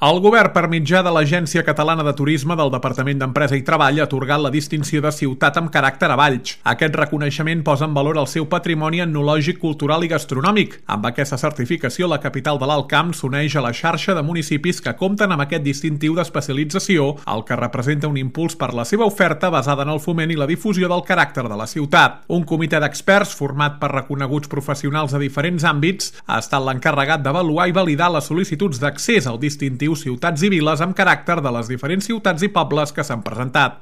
El govern, per mitjà de l'Agència Catalana de Turisme del Departament d'Empresa i Treball, ha atorgat la distinció de ciutat amb caràcter a Valls. Aquest reconeixement posa en valor el seu patrimoni etnològic, cultural i gastronòmic. Amb aquesta certificació, la capital de l'Alt Camp s'uneix a la xarxa de municipis que compten amb aquest distintiu d'especialització, el que representa un impuls per la seva oferta basada en el foment i la difusió del caràcter de la ciutat. Un comitè d'experts, format per reconeguts professionals de diferents àmbits, ha estat l'encarregat d'avaluar i validar les sol·licituds d'accés al distintiu ciutats i viles amb caràcter de les diferents ciutats i pobles que s'han presentat.